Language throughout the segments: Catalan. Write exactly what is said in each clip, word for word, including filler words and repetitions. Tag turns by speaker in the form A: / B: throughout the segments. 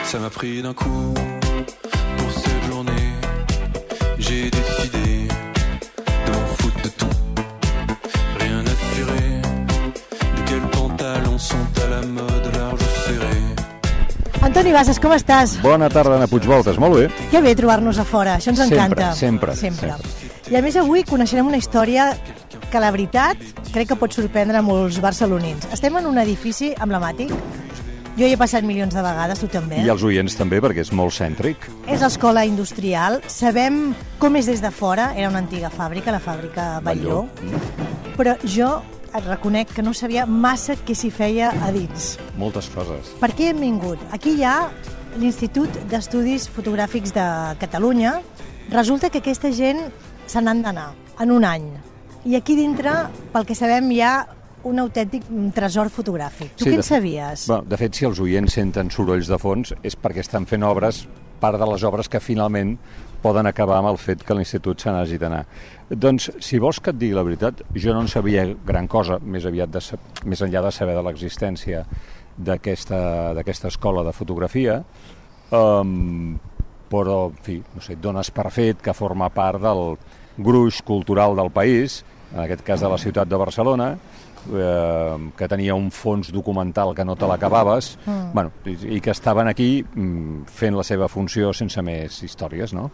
A: Ça m'a pris d'un coup pour cette journée. J'ai décidé de m'en foutre de tout. Rien assuré de quels pantalons sont à la mode large ou serré.
B: Antoni Bassas, com estàs?
C: Bona tarda, Anna Puigvoltes, molt bé.
B: Que bé trobar-nos a fora, això ens encanta.
C: Sempre,
B: sempre.
C: sempre.
B: I a més avui coneixerem una història que la veritat crec que pot sorprendre molts barcelonins. Estem en un edifici emblemàtic. Jo hi he passat milions de vegades, tu també.
C: I els oients també, perquè és molt cèntric.
B: És l'escola industrial. Sabem com és des de fora. Era una antiga fàbrica, la fàbrica Batlló. Però jo et reconec que no sabia massa què s'hi feia a dins.
C: Moltes coses.
B: Per què hem vingut? Aquí hi ha l'Institut d'Estudis Fotogràfics de Catalunya. Resulta que aquesta gent se n'han d'anar en un any. I aquí dintre, pel que sabem, hi ha un autèntic tresor fotogràfic. Tu
C: sí,
B: què en
C: de,
B: sabies?
C: Bueno, de fet, si els oients senten sorolls de fons és perquè estan fent obres, part de les obres que finalment poden acabar amb el fet que l'institut se n'hagi d'anar. Doncs, si vols que et digui la veritat, jo no en sabia gran cosa, més aviat de, més enllà de saber de l'existència d'aquesta d'aquesta escola de fotografia, um, però, en fi, no sé, et dones per fet que forma part del gruix cultural del país, en aquest cas de la ciutat de Barcelona, eh, que tenia un fons documental que no te l'acabaves, mm. bueno, i, i que estaven aquí mm, fent la seva funció sense més històries, no?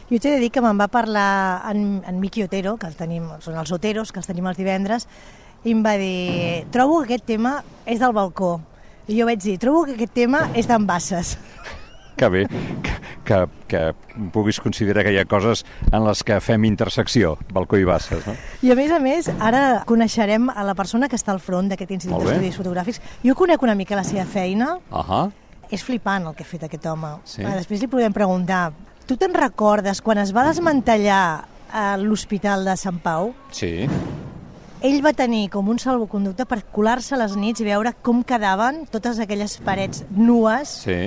B: Jo t'he de dir que me'n va parlar en, en Miqui Otero, que el tenim, són els Oteros, que els tenim els divendres, i em va dir, trobo que aquest tema és del balcó. I jo vaig dir, trobo que aquest tema és d'en Bassas.
C: Que bé, que, que, que puguis considerar que hi ha coses en les que fem intersecció, balcó i Bassas, no?
B: I a més a més, ara coneixerem a la persona que està al front d'aquest Institut d'Estudis Fotogràfics. Jo conec una mica la seva feina.
C: Uh-huh.
B: És flipant el que ha fet aquest home.
C: Sí?
B: Ah, després li podem preguntar, tu te'n recordes quan es va desmantellar a l'Hospital de Sant Pau?
C: Sí.
B: Ell va tenir com un salvoconducte per colar-se a les nits i veure com quedaven totes aquelles parets nues,
C: sí.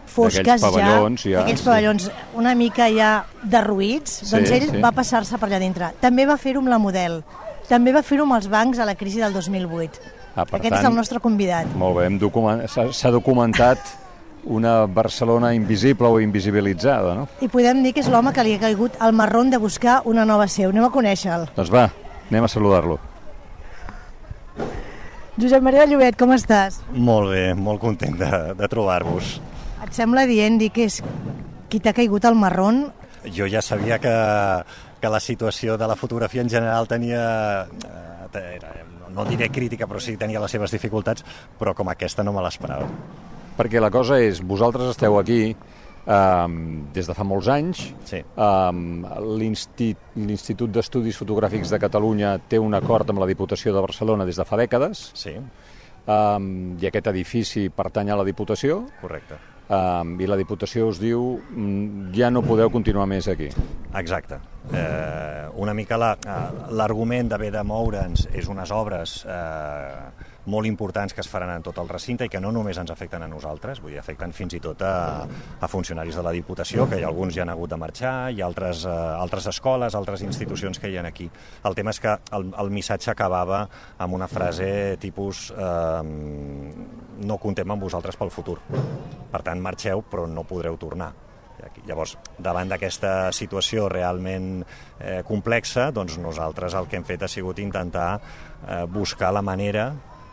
B: fosques
C: pavellons,
B: ja,
C: ja,
B: aquells
C: sí.
B: pavellons una mica ja derruïts,
C: sí,
B: doncs ell
C: sí.
B: va passar-se per allà dintre. També va fer-ho amb la Model, també va fer-ho amb els bancs a la crisi del dos mil vuit.
C: Ah, per
B: Aquest
C: tant,
B: és el nostre convidat.
C: Molt bé, document... s'ha documentat una Barcelona invisible o invisibilitzada, no?
B: I podem dir que és l'home que li ha caigut al marrón de buscar una nova seu. Anem a conèixer-lo.
C: Doncs va, anem a saludar-lo.
B: Josep Maria Llobet, com estàs?
D: Molt bé, molt content de, de trobar-vos.
B: Et sembla dient dir que és qui t'ha caigut al marrón?
D: Jo ja sabia que, que la situació de la fotografia en general tenia, era, no diré crítica, però sí tenia les seves dificultats, però com aquesta no me l'esperava.
C: Perquè la cosa és, vosaltres esteu aquí um, des de fa molts anys,
D: sí.
C: um, l'Institut d'Estudis Fotogràfics de Catalunya té un acord amb la Diputació de Barcelona des de fa dècades,
D: sí.
C: um, i aquest edifici pertany a la Diputació.
D: Correcte.
C: Um, i la Diputació us diu ja no podeu continuar més aquí.
D: Exacte. Eh, una mica la, l'argument d'haver de moure'ns és unes obres eh, molt importants que es faran en tot el recinte i que no només ens afecten a nosaltres, vull dir, afecten fins i tot a, a funcionaris de la Diputació, que hi ha alguns ja han hagut de marxar, hi ha altres, eh, altres escoles, altres institucions que hi ha aquí. El tema és que el, el missatge acabava amb una frase tipus eh, no comptem amb vosaltres pel futur. Per tant, marxeu, però no podreu tornar. Llavors, davant d'aquesta situació realment eh, complexa, doncs nosaltres el que hem fet ha sigut intentar eh, buscar la manera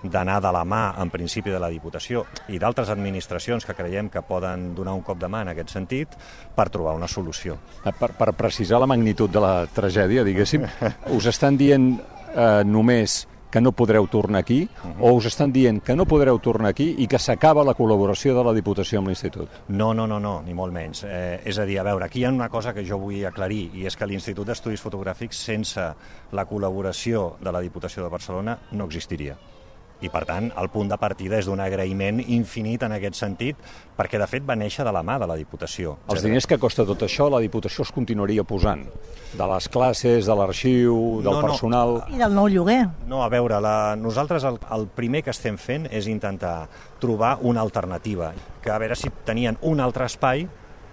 D: d'anar de la mà, en principi, de la Diputació i d'altres administracions que creiem que poden donar un cop de mà en aquest sentit per trobar una solució.
C: Per, per precisar la magnitud de la tragèdia, diguéssim, us estan dient eh, només que no podreu tornar aquí, uh-huh. o us estan dient que no podreu tornar aquí i que s'acaba la col·laboració de la Diputació amb l'Institut?
D: No, no, no, no, ni molt menys. Eh, és a dir, a veure, aquí hi ha una cosa que jo vull aclarir, i és que l'Institut d'Estudis Fotogràfics, sense la col·laboració de la Diputació de Barcelona, no existiria. I, per tant, el punt de partida és d'un agraïment infinit en aquest sentit, perquè, de fet, va néixer de la mà de la Diputació.
C: Els diners que costa tot això, la Diputació es continuaria posant, de les classes, de l'arxiu, del
D: no,
C: personal...
D: No.
B: I del nou lloguer.
D: No, a veure, la, nosaltres el, el primer que estem fent és intentar trobar una alternativa, que a veure si tenien un altre espai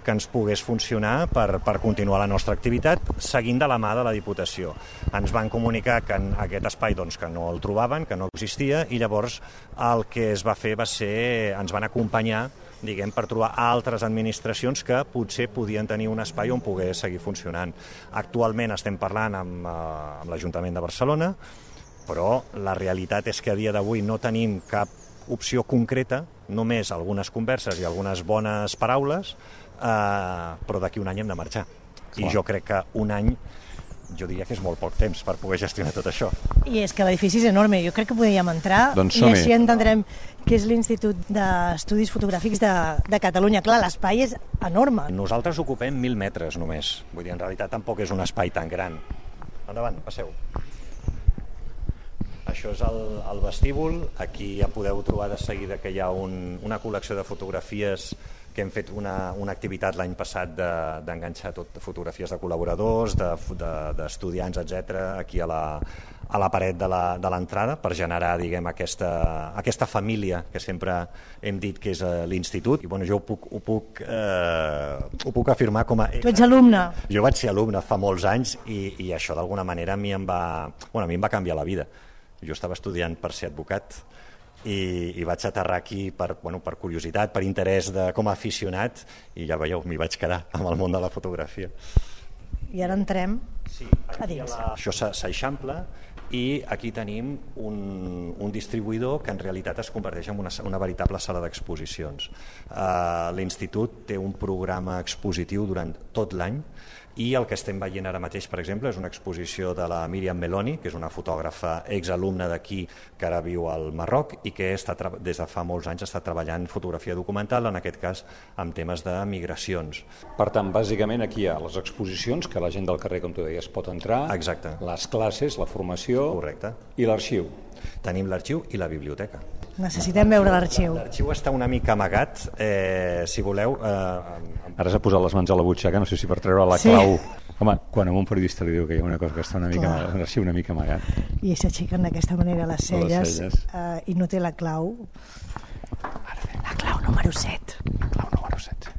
D: que ens pogués funcionar per, per continuar la nostra activitat seguint de la mà de la Diputació. Ens van comunicar que en aquest espai doncs, que no el trobaven, que no existia, i llavors el que es va fer va ser, ens van acompanyar diguem, per trobar altres administracions que potser podien tenir un espai on poder seguir funcionant. Actualment estem parlant amb, eh, amb l'Ajuntament de Barcelona, però la realitat és que a dia d'avui no tenim cap opció concreta, només algunes converses i algunes bones paraules, eh, però d'aquí un any hem de marxar. Clar. I jo crec que un any, jo diria que és molt poc temps per poder gestionar tot això.
B: I és que l'edifici és enorme, jo crec que podríem entrar
C: doncs
B: i així entendrem que és l'Institut d'Estudis Fotogràfics de, de Catalunya. Clar, l'espai és enorme.
D: Nosaltres ocupem mil metres només, vull dir, en realitat tampoc és un espai tan gran. Endavant, passeu. Això és el, el vestíbul, aquí ja podeu trobar de seguida que hi ha un, una col·lecció de fotografies que hem fet una, una activitat l'any passat d'enganxar de, tot fotografies de col·laboradors, d'estudiants, de, de, etcètera, aquí a la, a la paret de l'entrada per generar, diguem, aquesta, aquesta família que sempre hem dit que és l'institut. I bueno, jo ho puc, ho, puc, eh, ho puc afirmar com a...
B: Tu ets alumne.
D: Jo vaig ser alumne fa molts anys i, i això d'alguna manera a mi em va, bueno, a mi em va canviar la vida. Jo estava estudiant per ser advocat i, i vaig aterrar aquí per, bueno, per curiositat, per interès de, com a aficionat, i ja veieu, m'hi vaig quedar amb el món de la fotografia.
B: I ara entrem
D: sí,
B: a dins.
D: La... Això s'eixampla i aquí tenim un, un distribuïdor que en realitat es converteix en una, una veritable sala d'exposicions. Uh, L'Institut té un programa expositiu durant tot l'any i el que estem veient ara mateix, per exemple, és una exposició de la Míriam Meloni, que és una fotògrafa exalumna d'aquí que ara viu al Marroc i que està, des de fa molts anys està treballant fotografia documental, en aquest cas amb temes de migracions.
C: Per tant, bàsicament aquí hi ha les exposicions, que la gent del carrer, com tu deies, pot entrar.
D: Exacte.
C: Les classes, la formació.
D: Correcte.
C: I l'arxiu.
D: Tenim l'arxiu i la biblioteca.
B: Necessitem veure l'arxiu.
D: L'arxiu està una mica amagat, eh, si voleu... Eh,
C: Ara s'ha posat les mans a la butxaca, no sé si per treure la clau... Sí. Home, quan a un periodista li diu que hi ha una cosa que està una mica, l'arxiu una mica amagat.
B: I s'aixequen d'aquesta manera les celles,
C: les celles.
B: Eh, i no té la clau. La clau número set.
C: La clau número set.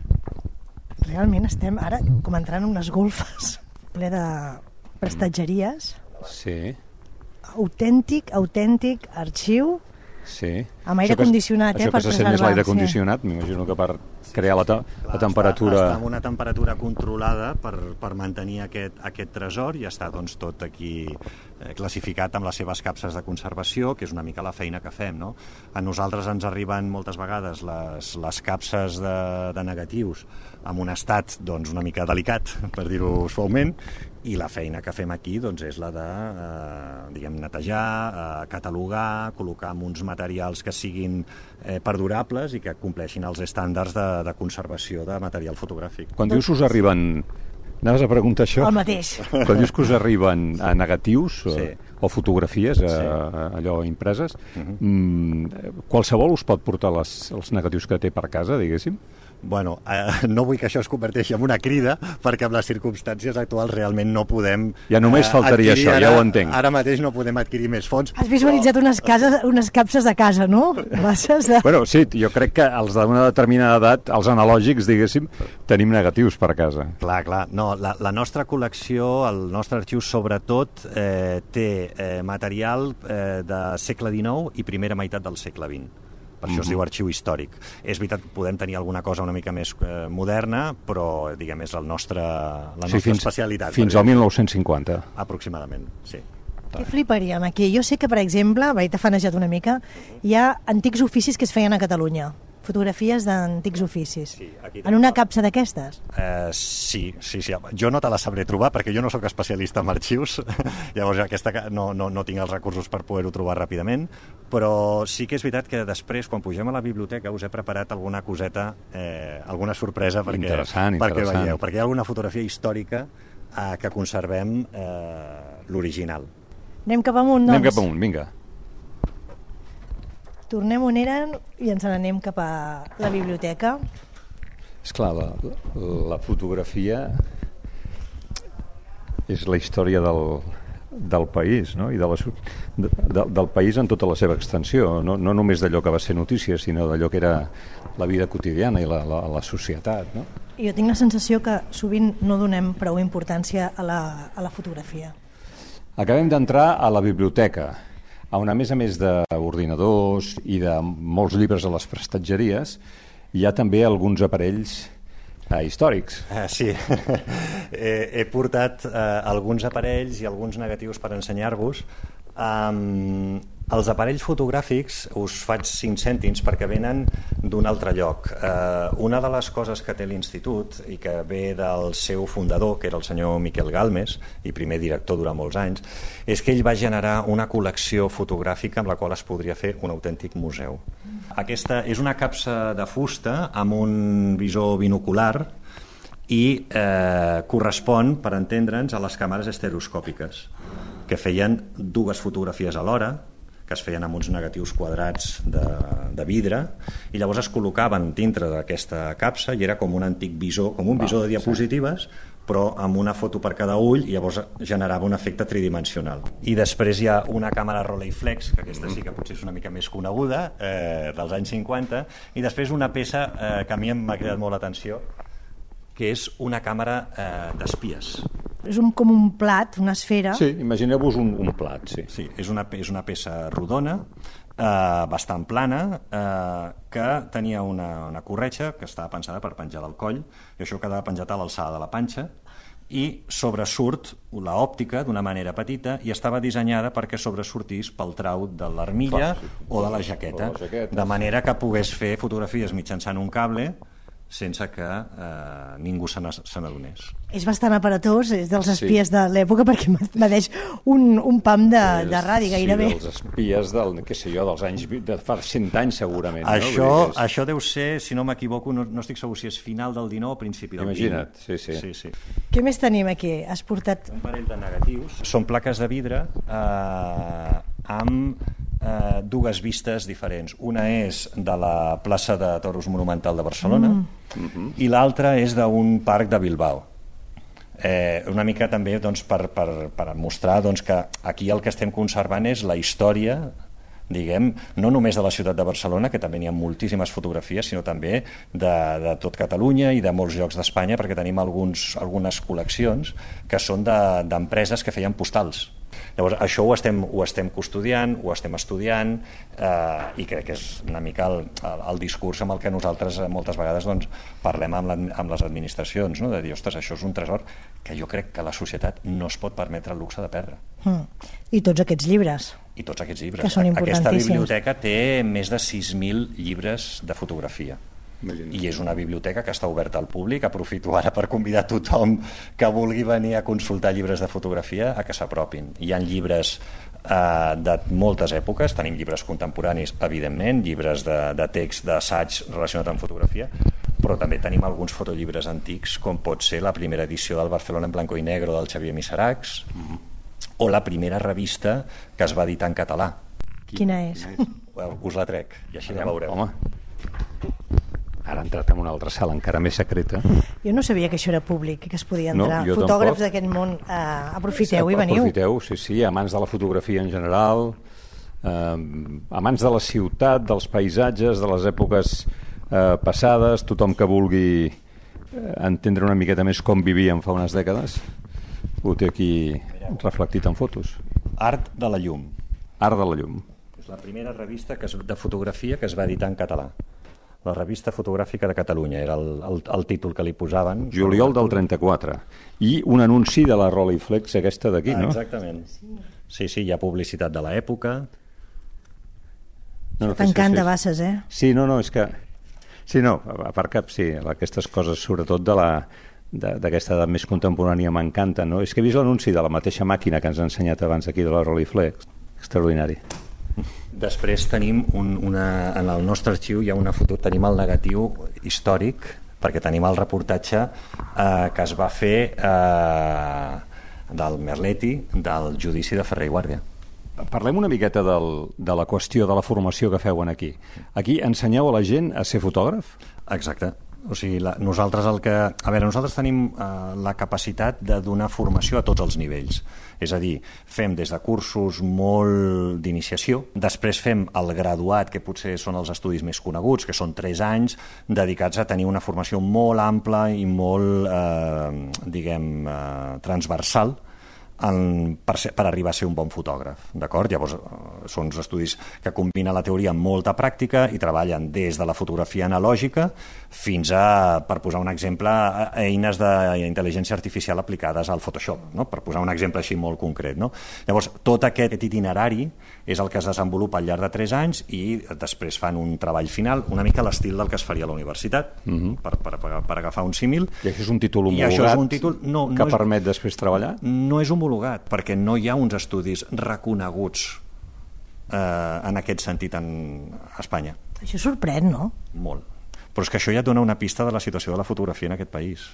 B: Realment estem ara com entrant en unes golfes ple de prestatgeries.
C: Sí.
B: Autèntic, autèntic arxiu.
C: Sí.
B: Amb aire condicionat, eh,
C: per preservar. Això que se sent més l'aire condicionat, sí. M'imagino que per crear la, te
D: Clar,
C: la temperatura...
D: Està, està amb una temperatura controlada per, per mantenir aquest, aquest tresor i està doncs, tot aquí eh, classificat amb les seves capses de conservació, que és una mica la feina que fem. No? A nosaltres ens arriben moltes vegades les, les capses de, de negatius amb un estat doncs, una mica delicat, per dir-ho suaument, i la feina que fem aquí doncs, és la de eh, diguem, netejar, eh, catalogar, col·locar amb uns materials que siguin eh, perdurables i que compleixin els estàndards de, de conservació de material fotogràfic.
C: Quan dius us arriben... Anaves a preguntar això?
B: El mateix.
C: Quan dius que us arriben a negatius o, sí. o fotografies, a,
D: sí.
C: a, allò impreses,
D: uh-huh.
C: mm, qualsevol us pot portar les, els negatius que té per casa, diguéssim?
D: Bueno, eh, no vull que això es converteixi en una crida, perquè amb les circumstàncies actuals realment no podem...
C: Ja només faltaria
D: eh,
C: això,
D: ara,
C: ja ho entenc.
D: Ara mateix no podem adquirir més fons.
B: Has visualitzat unes, cases, unes capses de casa, no? Bases de...
C: Bueno, sí, jo crec que els d'una determinada edat, els analògics, diguéssim, tenim negatius per casa.
D: Clar, clar. No, la, la nostra col·lecció, el nostre arxiu, sobretot, eh, té eh, material eh, de segle dinou i primera meitat del segle vint. Per això es diu arxiu històric. És veritat que podem tenir alguna cosa una mica més eh, moderna, però, diguem, és el nostre, la nostra
C: sí, fins,
D: especialitat.
C: Fins al mil nou-cents cinquanta.
D: Aproximadament, sí.
B: Què fliparíem aquí? Jo sé que, per exemple, vaig tafanejat una mica, hi ha antics oficis que es feien a Catalunya. Fotografies d'antics oficis.
D: Sí,
B: en una capsa d'aquestes?
D: Eh, sí, sí, sí. Jo no te la sabré trobar perquè jo no sóc especialista en arxius, llavors aquesta no, no, no tinc els recursos per poder-ho trobar ràpidament, però sí que és veritat que després, quan pugem a la biblioteca, us he preparat alguna coseta, eh, alguna sorpresa perquè,
C: interessant,
D: perquè
C: interessant.
D: veieu, perquè hi ha alguna fotografia històrica eh, que conservem eh, l'original.
B: Anem cap amunt, doncs?
C: Anem cap amunt, vinga.
B: Tornem on eren i ens n'anem cap a la biblioteca.
C: Esclar, la, la fotografia és la història del, del país, no? I de la, de, de, del país en tota la seva extensió, no, no només d'allò que va ser notícia, sinó d'allò que era la vida quotidiana i la, la, la societat, no?
B: Jo tinc la sensació que sovint no donem prou importància a la, a la fotografia.
C: Acabem d'entrar a la biblioteca, on a més a més d'ordinadors i de molts llibres a les prestatgeries, hi ha també alguns aparells eh, històrics.
D: Uh, sí, he, he portat uh, alguns aparells i alguns negatius per ensenyar-vos. Um, els aparells fotogràfics us faig cinc cèntims perquè venen d'un altre lloc. Uh, una de les coses que té l'Institut i que ve del seu fundador, que era el senyor Miquel Galmes, i primer director durant molts anys, és que ell va generar una col·lecció fotogràfica amb la qual es podria fer un autèntic museu. Aquesta és una capsa de fusta amb un visor binocular i eh, correspon, per entendre'ns, a les càmeres estereoscòpiques, que feien dues fotografies alhora, que es feien amb uns negatius quadrats de, de vidre, i llavors es col·locaven dintre d'aquesta capsa i era com un antic visor, com un visor de diapositives, però amb una foto per cada ull, i llavors generava un efecte tridimensional. I després hi ha una càmera Rolleiflex, que aquesta sí que potser és una mica més coneguda, eh, dels anys cinquanta, i després una peça eh, que a mi m'ha cridat molt l'atenció, que és una càmera eh, d'espies.
B: És un, com un plat, una esfera.
C: Sí, imagineu-vos un, un plat, sí.
D: Sí, és una, és una peça rodona, eh, bastant plana, eh, que tenia una, una corretja que estava pensada per penjar del coll, i això quedava penjat a l'alçada de la panxa, i sobresurt l'òptica d'una manera petita i estava dissenyada perquè sobresortís pel trau de l'armilla sí. o de la jaqueta,
C: la jaqueta,
D: de manera que pogués fer fotografies mitjançant un cable sense que eh, ningú se n'adonés.
B: És bastant aparatós, és dels espies sí. de l'època, perquè m'adeix un, un pam de, de radi, gairebé.
C: Sí, dels espies del, què sé jo, dels anys, de fa cent anys segurament.
D: Això,
C: no? És...
D: això deu ser, si no m'equivoco, no, no estic segur si és final del dinou o principi del vint.
C: Imagina't, sí, sí.
D: sí, sí.
B: Què més tenim aquí? Has portat...
D: Un parell de negatius. Són plaques de vidre eh, amb eh, dues vistes diferents. Una és de la plaça de Toros Monumental de Barcelona mm. i l'altra és d'un parc de Bilbao. Eh, una mica també doncs, per, per, per mostrar doncs, que aquí el que estem conservant és la història, diguem, no només de la ciutat de Barcelona, que també n'hi ha moltíssimes fotografies, sinó també de, de tot Catalunya i de molts llocs d'Espanya, perquè tenim alguns, algunes col·leccions que són d'empreses de, que feien postals. Llavors, això ho estem, ho estem custodiant, ho estem estudiant, eh, i crec que és una mica el, el, el discurs amb el que nosaltres moltes vegades doncs, parlem amb, la, amb les administracions, no? De dir, ostres, això és un tresor que jo crec que la societat no es pot permetre el luxe de perdre.
B: Mm. I tots aquests llibres.
D: I tots aquests llibres.
B: Que són importantíssims.
D: Aquesta biblioteca té més de sis mil llibres de fotografia. I és una biblioteca que està oberta al públic. Aprofito ara per convidar tothom que vulgui venir a consultar llibres de fotografia a que s'apropin. Hi ha llibres eh, de moltes èpoques, tenim llibres contemporanis, evidentment, llibres de, de text, d'assaig relacionat amb fotografia, però també tenim alguns fotollibres antics, com pot ser la primera edició del Barcelona en blanco i negro del Xavier Miseracs, mm-hmm. o la primera revista que es va editar en català.
B: Quina és?
D: Us la trec, i així la veureu.
C: Home. Ara ha entrat en una altra sala encara més secreta.
B: Jo no sabia que això era públic, que es podia entrar.
C: No,
B: fotògrafs d'aquest món, eh, aprofiteu i veniu.
C: Aprofiteu, sí, sí, amants de la fotografia en general, eh, amants de la ciutat, dels paisatges, de les èpoques eh, passades, tothom que vulgui eh, entendre una miqueta més com vivíem fa unes dècades, ho té aquí reflectit en fotos.
D: Art de la llum.
C: Art de la llum.
D: És la primera revista que es, de fotografia que es va editar en català. La revista fotogràfica de Catalunya era el, el, el títol que li posaven.
C: Juliol del trenta-quatre. I un anunci de la Rolleiflex aquesta d'aquí,
D: ah,
C: no?
D: Exactament. Sí, sí, hi ha publicitat de l'època.
C: No, no,
B: Tancant
C: sí, sí.
B: de basses, eh?
C: Sí, no, no, és que... Sí, no, a part que sí, aquestes coses, sobretot de la d'aquesta edat més contemporània m'encanten, no? És que he vist l'anunci de la mateixa màquina que ens ha ensenyat abans aquí de la Rolleiflex. Extraordinari.
D: Després tenim un, una, en el nostre arxiu hi ha una foto, tenim el negatiu històric, perquè tenim el reportatge eh, que es va fer eh, del Merletti del judici de Ferrer i Guàrdia.
C: Parlem una miqueta del, de la qüestió de la formació que feuen aquí. Aquí ensenyeu a la gent a ser fotògraf?
D: Exacte. O sigui, la, nosaltres el que... A veure, nosaltres tenim eh, la capacitat de donar formació a tots els nivells. És a dir, fem des de cursos molt d'iniciació, després fem el graduat, que potser són els estudis més coneguts, que són tres anys, dedicats a tenir una formació molt ampla i molt, eh, diguem, eh, transversal, En, per, ser, per arribar a ser un bon fotògraf, d'acord? Llavors són uns estudis que combinen la teoria amb molta pràctica i treballen des de la fotografia analògica fins a, per posar un exemple, eines d'intel·ligència artificial aplicades al Photoshop, no? Per posar un exemple així molt concret. No? Llavors, tot aquest itinerari és el que es desenvolupa al llarg de tres anys i després fan un treball final, una mica a l'estil del que es faria a la universitat, uh-huh. per, per, per agafar un símil.
C: I això és un títol homologat és un títol, no, que no és, permet després treballar?
D: No és homologat, perquè no hi ha uns estudis reconeguts eh, en aquest sentit en Espanya.
B: Això sorprèn, no?
D: Molt. Però és que això ja et dona una pista de la situació de la fotografia en aquest país.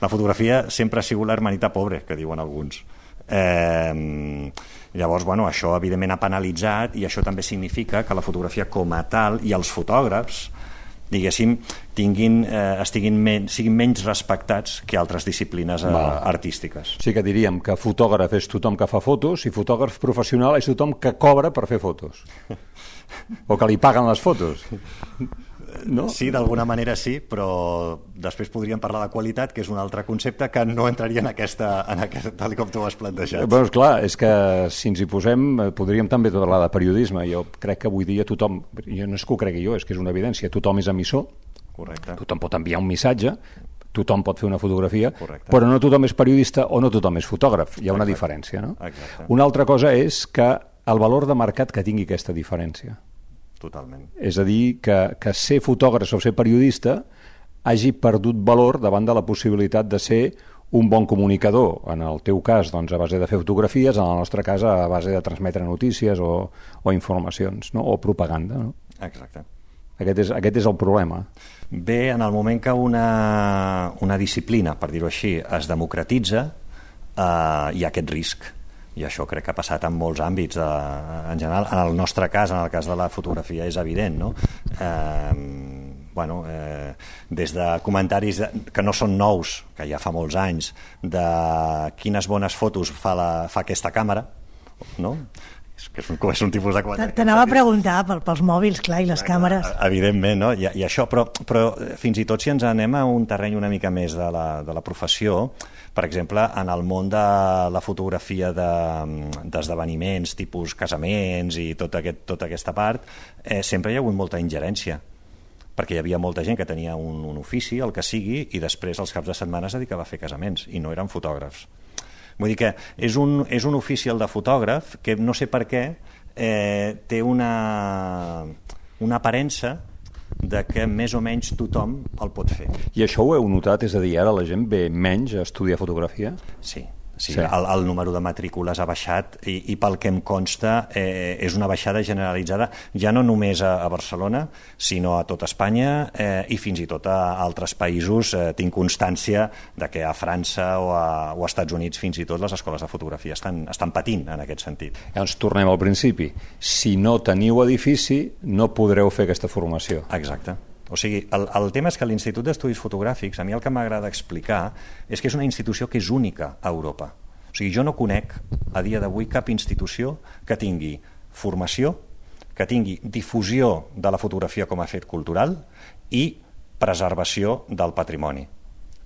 D: La fotografia sempre ha sigut l'hermanita pobre, que diuen alguns. Eh, llavors, bueno, això evidentment ha penalitzat i això també significa que la fotografia com a tal i els fotògrafs, diguéssim, tinguin, eh, estiguin men siguin menys respectats que altres disciplines eh, artístiques.
C: Sí que diríem que fotògraf és tothom que fa fotos i fotògraf professional és tothom que cobra per fer fotos. O que li paguen les fotos. No?
D: Sí, d'alguna manera sí, però després podríem parlar de qualitat, que és un altre concepte que no entraria en aquesta, en aquesta tal com tu ho has plantejat.
C: Bé, clar, és que si ens hi posem podríem també parlar de periodisme. Jo crec que avui dia tothom, jo no és que ho cregui jo, és que és una evidència, tothom és emissor.
D: Correcte.
C: Tothom pot enviar un missatge, tothom pot fer una fotografia,
D: correcte,
C: però no tothom és periodista o no tothom és fotògraf. Hi ha una
D: exacte,
C: diferència, no?
D: Exacte.
C: Una altra cosa és que el valor de mercat que tingui aquesta diferència.
D: Totalment.
C: És a dir, que, que ser fotògraf o ser periodista hagi perdut valor davant de la possibilitat de ser un bon comunicador. En el teu cas, doncs, a base de fer fotografies, en el nostre cas, a base de transmetre notícies o, o informacions, no? O propaganda. No?
D: Exacte.
C: Aquest és, aquest és el problema.
D: Bé, en el moment que una, una disciplina, per dir-ho així, es democratitza, eh, hi ha aquest risc. I això crec que ha passat en molts àmbits de, en general, en el nostre cas, en el cas de la fotografia és evident, no? Eh, bueno, eh, des de comentaris de, que no són nous, que ja fa molts anys, de quines bones fotos fa, la, fa aquesta càmera, no? És, que és, un, és un tipus de comentari.
B: T'anava a preguntar pel, pels mòbils, clar, i les clar, càmeres.
D: Evidentment, no? I, i això, però, però fins i tot si ens anem a un terreny una mica més de la, de la professió, per exemple, en el món de la fotografia d'esdeveniments, de, tipus casaments i tot aquest, tota aquesta part, eh, sempre hi ha hagut molta ingerència, perquè hi havia molta gent que tenia un, un ofici, el que sigui, i després els caps de setmana es dedicava a fer casaments, i no eren fotògrafs. Vull dir que és un, és un ofici el de fotògraf que no sé per què eh, té una, una aparença de que més o menys tothom el pot fer.
C: I això ho heu notat? És a dir, ara la gent ve menys a estudiar fotografia?
D: Sí. Sí, sí. El, el número de matrícules ha baixat i, i pel que em consta eh, és una baixada generalitzada ja no només a, a Barcelona sinó a tot Espanya eh, i fins i tot a altres països. Eh, tinc constància de que a França o a, o a Estats Units fins i tot les escoles de fotografia estan, estan patint en aquest sentit.
C: Llavors tornem al principi. Si no teniu edifici no podreu fer aquesta formació.
D: Exacte. O sigui, el, el tema és que l'Institut d'Estudis Fotogràfics, a mi el que m'agrada explicar és que és una institució que és única a Europa. O sigui, jo no conec a dia d'avui cap institució que tingui formació, que tingui difusió de la fotografia com a fet cultural i preservació del patrimoni.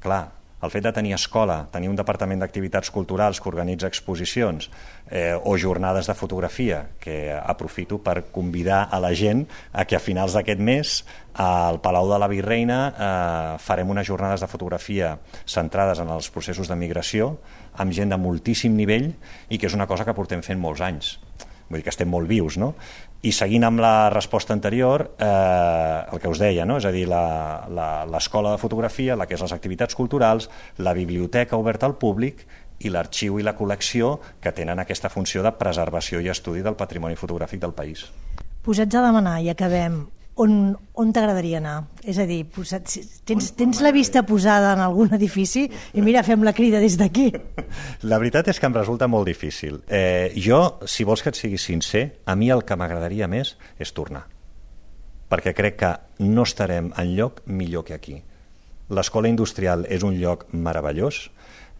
D: Clar, el fet de tenir escola, tenir un departament d'activitats culturals que organitza exposicions eh, o jornades de fotografia, que aprofito per convidar a la gent a que a finals d'aquest mes al Palau de la Virreina eh, farem unes jornades de fotografia centrades en els processos de migració amb gent de moltíssim nivell i que és una cosa que portem fent molts anys. Vull dir que estem molt vius, no? I seguint amb la resposta anterior, eh, el que us deia, no? És a dir, l'escola de fotografia, la que és les activitats culturals, la biblioteca oberta al públic i l'arxiu i la col·lecció que tenen aquesta funció de preservació i estudi del patrimoni fotogràfic del país.
B: Posats a demanar i acabem, on, on t'agradaria anar? És a dir, posat, tens, tens la vista posada en algun edifici i mira, fem la crida des d'aquí.
D: La veritat és que em resulta molt difícil. Eh, jo, si vols que et sigui sincer, a mi el que m'agradaria més és tornar. Perquè crec que no estarem enlloc millor que aquí. L'escola industrial és un lloc meravellós.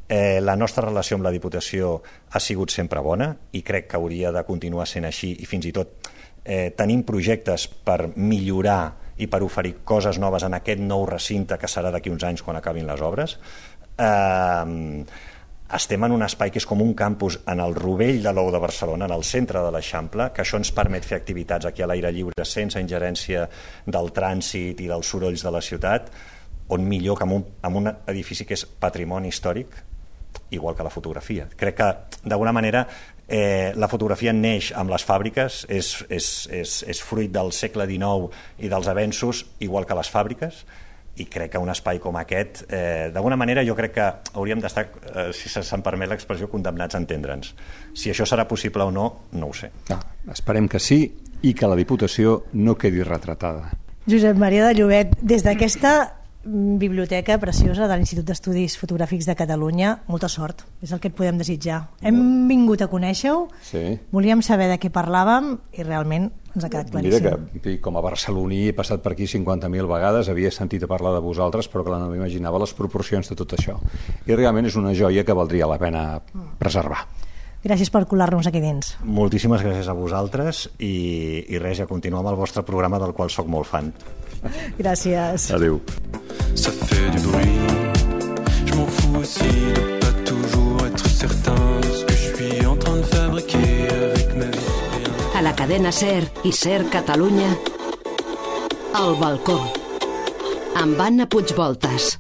D: Eh, la nostra relació amb la Diputació ha sigut sempre bona i crec que hauria de continuar sent així i fins i tot eh, tenim projectes per millorar i per oferir coses noves en aquest nou recinte que serà d'aquí uns anys quan acabin les obres. Eh, estem en un espai que és com un campus en el rovell de l'Ou de Barcelona, en el centre de l'Eixample, que això ens permet fer activitats aquí a l'aire lliure sense ingerència del trànsit i dels sorolls de la ciutat, on millor que en un, en un edifici que és patrimoni històric, igual que la fotografia. Crec que, d'alguna manera, eh, la fotografia neix amb les fàbriques, és, és, és, és fruit del segle dinou i dels avenços, igual que les fàbriques, i crec que un espai com aquest, eh, d'alguna manera jo crec que hauríem d'estar, eh, si se'm permet l'expressió, condemnats a entendre'ns. Si això serà possible o no, no ho sé.
C: No, esperem que sí i que la Diputació no quedi retratada.
B: Josep Maria de Llobet, des d'aquesta biblioteca preciosa de l'Institut d'Estudis Fotogràfics de Catalunya, molta sort, és el que et podem desitjar. Hem vingut a conèixer-ho,
C: sí.
B: Volíem saber de què parlàvem i realment ens ha quedat claríssim.
C: Mira que com a barceloní he passat per aquí cinquanta mil vegades, havia sentit a parlar de vosaltres, però clar, no m'imaginava les proporcions de tot això. I realment és una joia que valdria la pena preservar.
B: Gràcies per colar-nos aquí dins.
D: Moltíssimes gràcies a vosaltres i, i res, ja continuo amb el vostre programa del qual sóc molt fan.
B: Gràcies.
C: Adéu.
A: Ça fait du bruit. Je m'en fous aussi de pas toujours être certain de ce que je suis en train de fabriquer avec ma vie.
E: A la cadena SER i SER Catalunya, El Balcó, amb Anna Puigvoltas.